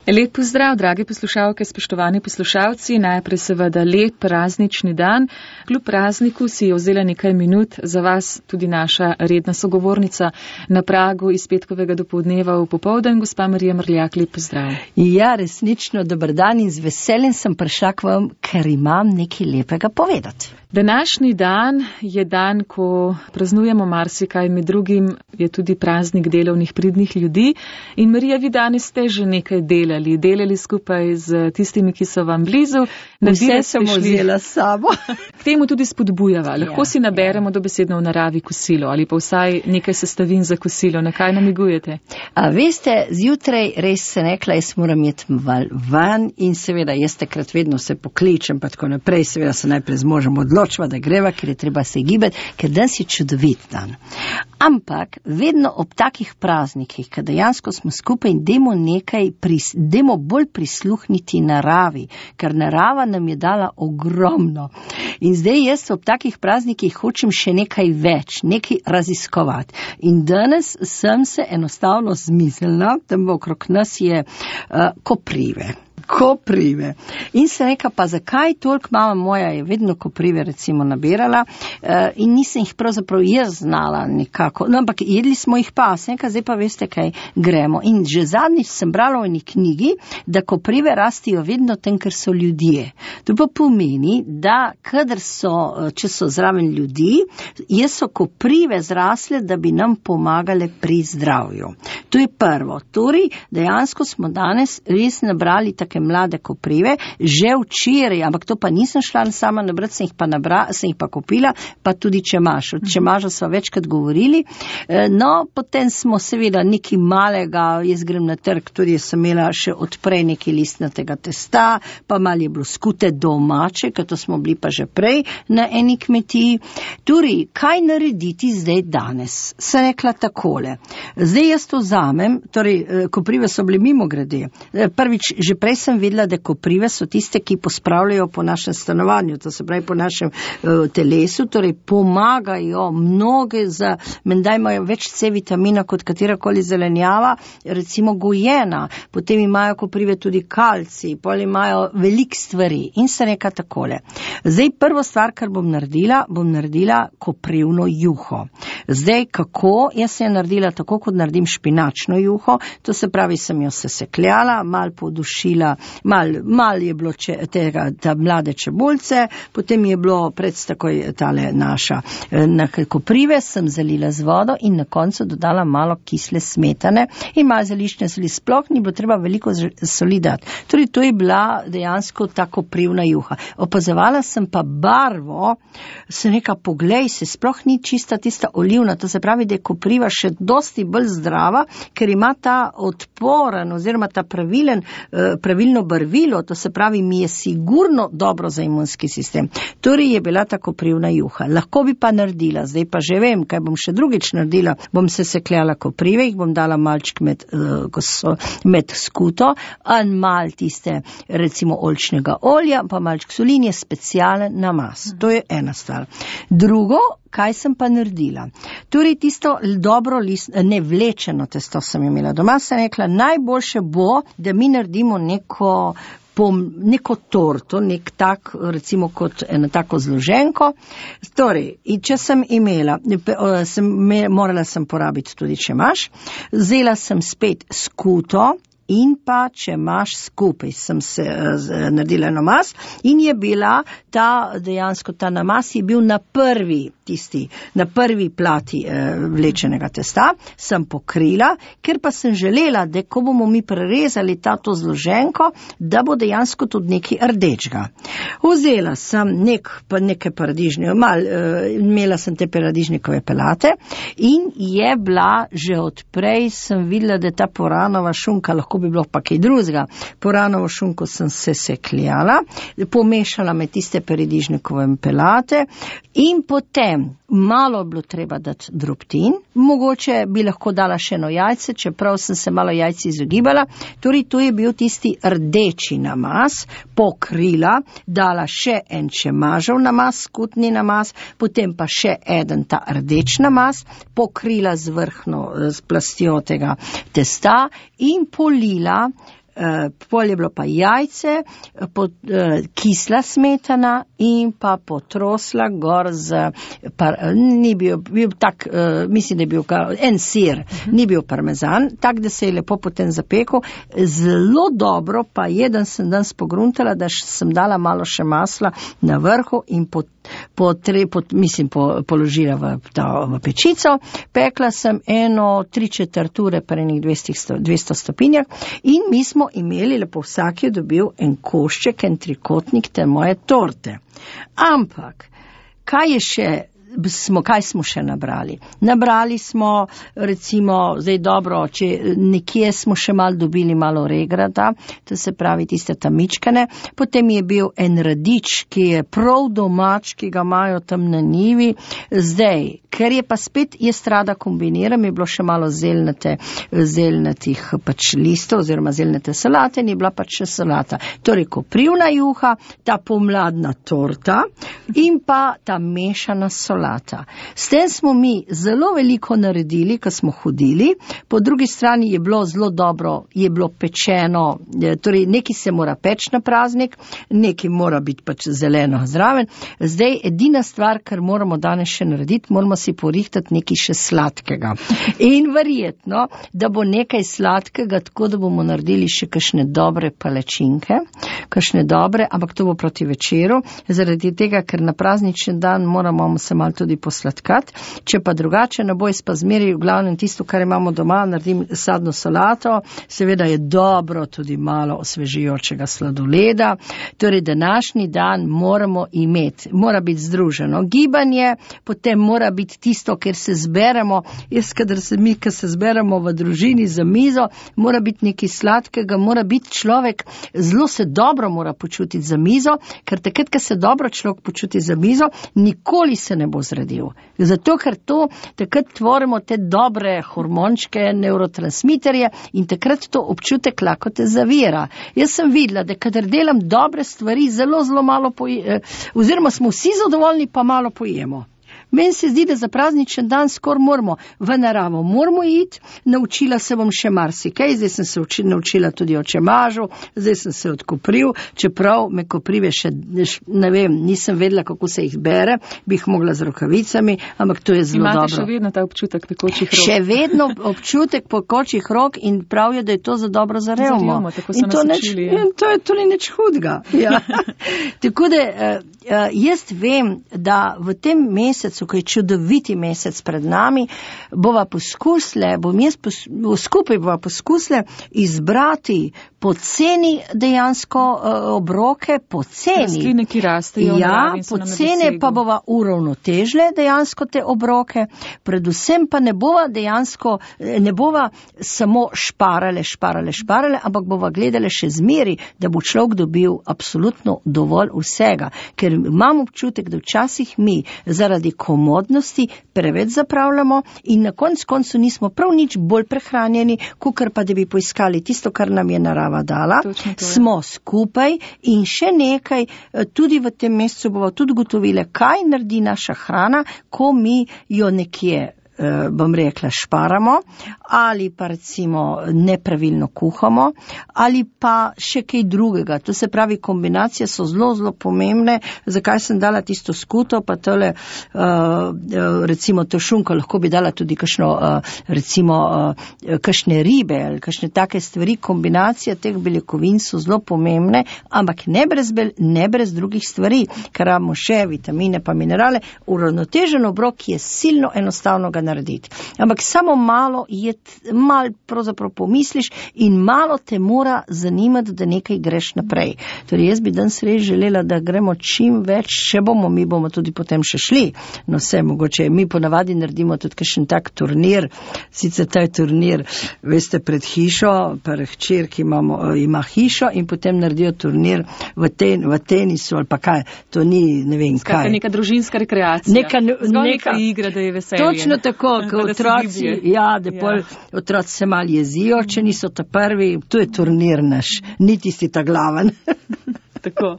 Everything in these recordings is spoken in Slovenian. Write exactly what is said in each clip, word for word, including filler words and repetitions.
Lep pozdrav, dragi poslušalke, spoštovani poslušalci, najprej seveda lep praznični dan. Kljub prazniku si je vzela nekaj minut za vas tudi naša redna sogovornica na pragu iz petkovega dopoldneva v popoldan, gospa Marija Mrljak, lep pozdrav. Ja, resnično, dober dan in z veseljem sem prišla k vam, ker imam nekaj lepega povedati. Današnji dan je dan, ko praznujemo marsikaj, med drugim je tudi praznik delovnih pridnih ljudi. In Marija, vi danes ste že nekaj delali, delali skupaj z tistimi, ki so vam blizu. Vse sem vzela s sabo. K temu tudi spodbujava. Lahko ja, si naberemo ja. dobesedno v naravi kosilo ali pa vsaj nekaj sestavin za kosilo. Na kaj namigujete? A veste, zjutraj res se nekla, jaz moram iti van in seveda jaz takrat vedno se pokličem, pa tako naprej, seveda se najprej z možem odločva, da greva, ker je treba se gibati, ker danes je čudovit dan. Ampak vedno ob takih praznikih, kad dejansko smo skupaj in demo nekaj, pris, demo bolj prisluhniti naravi, ker narava nam je dala ogromno. In zdaj jaz ob takih praznikih hočem še nekaj več, nekaj raziskovati. In danes sem se enostavno zmislila, tam okrog nas je uh, koprive. Koprive. In se reka, pa zakaj toliko, mama moja je vedno koprive recimo nabirala uh, in nisem jih pravzaprav jaz znala nekako, no, ampak jedli smo jih pa, sem reka, zdaj pa veste kaj, gremo. In že zadnjič sem brala v eni knjigi, da koprive rastijo vedno tam, ker so ljudje. To pa pomeni, da kadar so, če so zraven ljudi, je so koprive zrasle, da bi nam pomagale pri zdravju. To je prvo. Torej, dejansko smo danes res nabrali take mlade koprive, že včeraj, ampak to pa nisem šla sama nabrati, sem jih pa, nabra, sem jih pa kupila, pa tudi čemaž. Od čemaža so večkrat govorili. No, potem smo seveda nekaj malega, jaz grem na trg, tudi sem imela še odprej nekaj listnatega testa, pa malo je bilo skute domače, ker to smo bili pa že prej na eni kmetiji. Torej, kaj narediti zdaj danes? Sem rekla takole. Zdaj jaz to vzamem, torej, koprive so bile mimo grede. Prvič, že prej sem vedela, da koprive so tiste, ki pospravljajo po našem stanovanju, to se pravi po našem uh, telesu, torej pomagajo mnoge za, menda imajo več C vitamina kot katerakoli zelenjava, recimo gojena, potem imajo koprive tudi kalcij, pol imajo veliko stvari in se reka takole. Zdaj prvo stvar, kar bom naredila, bom naredila koprivno juho. Zdaj kako? Jaz sem naredila tako, kot naredim špinačno juho, to se pravi, sem jo sesekljala, mal podušila, mal, mal je bilo če, tega, ta mlade čebulce, potem je bilo pred takoj tale naša na koprive, sem zalila z vodo in na koncu dodala malo kisle smetane in malo zeliščne soli, sploh ni bilo treba veliko soli dati. Torej, to je bila dejansko ta koprivna juha. Opazovala sem pa barvo, sem neka, poglej se, sploh ni čista tista olivna, to se pravi, da je kopriva še dosti bolj zdrava, ker ima ta odporen oziroma ta pravilen, pravilno barvilo, to se pravi, mi je sigurno dobro za imunski sistem. Torej je bila ta koprivna juha. Lahko bi pa naredila, zdaj pa že vem, kaj bom še drugič naredila, bom se sekljala koprive, jih bom dala malček med, med skuto, in mal tiste, recimo, oljčnega olja, pa malček solin je specialen namaz. To je ena stvar. Drugo, kaj sem pa naredila? Torej, tisto dobro list, ne vlečeno testo sem imela doma, sem rekla, najboljše bo, da mi naredimo neko, pom, neko torto, nek tak, recimo kot eno tako zloženko. Torej, in če sem imela, sem, morala sem porabiti tudi čemaž, vzela sem spet skuto, in pa če imaš skupaj, sem se uh, naredila namaz in je bila ta, dejansko ta namaz je bil na prvi, tisti, na prvi plati uh, vlečenega testa, sem pokrila, ker pa sem želela, da ko bomo mi prerezali tato zloženko, da bo dejansko tudi nekaj rdečega. Vzela sem nek, pa neke paradižnike, mal, uh, imela sem te paradižnikove pelate in je bila že odprej, sem videla, da ta poranova šunka lahko bi bilo pa kaj drugega. Poranovo šunko sem se sekljala, pomešala med tiste paradižnikove pelate in potem malo bilo treba dati drobtin, mogoče bi lahko dala še eno jajce, čeprav sem se malo jajci izogibala, torej to je bil tisti rdeči namaz, pokrila, dala še en čemažev namaz, skutni namaz, potem pa še eden ta rdeč namaz, pokrila z vrhno, z plastjo tega testa in polila pol je bilo pa jajce, pot, kisla smetana in pa potrosla gor z, par, ni bil, bil tak, mislim, da je bil en sir, ni bil parmezan, tak, da se je lepo potem zapekel. Zelo dobro pa jeden sem danes pogruntala, da sem dala malo še masla na vrhu in pot, po tre, po, mislim, po, položila v, ta, v pečico. Pekla sem eno tri četrt ure pa enih dvesto stopinjah in mi smo imeli, lepo vsak je dobil en košček, en trikotnik te moje torte. Ampak, kaj je še, smo, kaj smo še nabrali? Nabrali smo, recimo, zdaj dobro, če nekje smo še malo dobili malo regrata, to se pravi tiste tamičkane, potem je bil en radič, ki je prav domač, ki ga imajo tam na njivi, zdaj, ker je pa spet jaz rada kombiniram, je bilo še malo zelnate, zelnatih pač listov oziroma zelnate salate in je bila pač še salata. Torej, koprivna juha, ta pomladna torta in pa ta mešana solata. S tem smo mi zelo veliko naredili, ko smo hodili, po drugi strani je bilo zelo dobro, je bilo pečeno, torej nekaj se mora peč na praznik, nekaj mora biti pač zeleno zraven. Zdaj, edina stvar, kar moramo danes še narediti, moramo si porihtati nekaj še sladkega. In verjetno, da bo nekaj sladkega, tako da bomo naredili še kakšne dobre palačinke, kakšne dobre, ampak to bo proti večeru, zaradi tega, ker na praznični dan moramo se malo tudi posladkati. Če pa drugače, ne bo jaz pa zmeri v glavnem tisto, kar imamo doma, naredim sadno solato, seveda je dobro tudi malo osvežijočega sladoleda. Torej, današnji dan moramo imeti, mora biti združeno gibanje, potem mora biti tisto, ker se zberemo, jaz, kadar se mi, kad se zberemo v družini za mizo, mora biti nekaj sladkega, mora biti človek, zelo se dobro mora počutiti za mizo, ker takrat, kad se dobro človek počuti za mizo, nikoli se ne bo zredil. Zato, ker to, takrat tvorimo te dobre hormončke, neurotransmiterje in takrat to občutek lakote zavira. Jaz sem videla, da kadar delam dobre stvari, zelo, zelo malo poje, oziroma smo vsi zadovoljni, pa malo pojemo. Meni se zdi, da za prazničen dan skor moramo v naravo, moramo iti, naučila se bom še marsikaj, zdaj sem se uči, naučila tudi o čemažu, zdaj sem se od kopriv, čeprav me koprive še, ne vem, nisem vedela, kako se jih bere, bi jih mogla z rokavicami, ampak to je zelo Imate dobro. Imate še vedno ta občutek pekočih rok? Še vedno občutek pekočih rok in prav je, da je to za dobro za revmo. Za revmo, tako so nas učili. In to je tudi nič hudega. Ja. Tako da jaz vem, da v tem mesecu, ko je čudoviti mesec pred nami, bova poskusile, bom jaz pos, skupaj bova poskusile izbrati poceni dejansko uh, obroke, poceni. Rastline, ki rastejo. Ja, pocene pa bova uravnotežile dejansko te obroke, predvsem pa ne bova dejansko, ne bova samo šparale, šparale, šparale, ampak bova gledale še zmeri, da bo človek dobil absolutno dovolj vsega, ker imam občutek, da včasih mi zaradi komodnosti preveč zapravljamo in na konc koncu nismo prav nič bolj prehranjeni, kakor pa da bi poiskali tisto, kar nam je narava dala. Smo skupaj in še nekaj, tudi v tem mesecu bomo tudi gotovile, kaj naredi naša hrana, ko mi jo nekje bom rekla, šparamo, ali pa recimo nepravilno kuhamo, ali pa še kaj drugega. To se pravi, kombinacije so zelo, zelo pomembne. Zakaj sem dala tisto skuto, pa tole, recimo to šunko, lahko bi dala tudi kakšno, recimo, kakšne ribe, ali kakšne take stvari. Kombinacija teh beljakovin so zelo pomembne, ampak ne brez, ne brez drugih stvari, ker imamo še vitamine pa minerale. Uravnotežen obrok je silno enostavno ga narediti. Ampak samo malo je, malo pravzaprav pomisliš in malo te mora zanimati, da nekaj greš naprej. Torej, jaz bi danes res želela, da gremo čim več, še bomo, mi bomo tudi potem še šli. No, vse mogoče, mi ponavadi naredimo tudi kakšen tak turnir, sicer taj turnir, veste, pred hišo, pred hčerki imamo, ima hišo in potem naredijo turnir v, ten, v tenisu ali pa kaj, to ni, ne vem, Skakaj, kaj. Neka družinska rekreacija. Neka, neka igra, da je veselje. Točno tako, ko otroci, ja, da pol ja. Otroci se mal jezijo, če niso ta prvi, to je turnir naš, niti si ta glaven. Tako.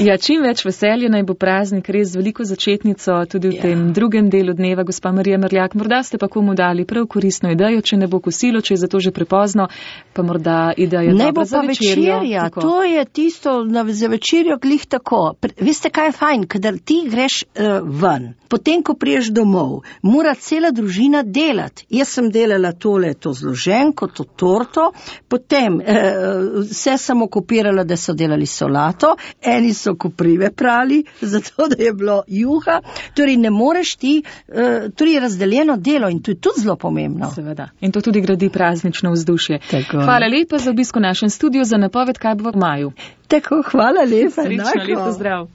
Ja, čim več veselja naj bo praznik, res z veliko začetnico tudi v ja. tem drugem delu dneva, gospa Marija Merljak. Morda ste pa komu dali prav koristno idejo, če ne bo kosilo, če je zato že prepozno, pa morda idejo ne dobra bo za pa večerjo. večerja, to je tisto na, za večerjo glih tako. Pre, veste, kaj je fajn, kadar ti greš uh, ven, potem, ko priješ domov, mora cela družina delati. Jaz sem delala tole, to zloženko, to torto, potem uh, vse sem okupirala, da so delali solato, eni so koprive prali, zato da je bilo juha, torej ne moreš ti, uh, torej razdeljeno delo in to je tudi zelo pomembno. Seveda. In to tudi gradi praznično vzdušje. Tako. Hvala lepa za obisk v našem studiu, za napoved, kaj bo v maju. Tako, hvala lepa. Srečno, lepo zdrav.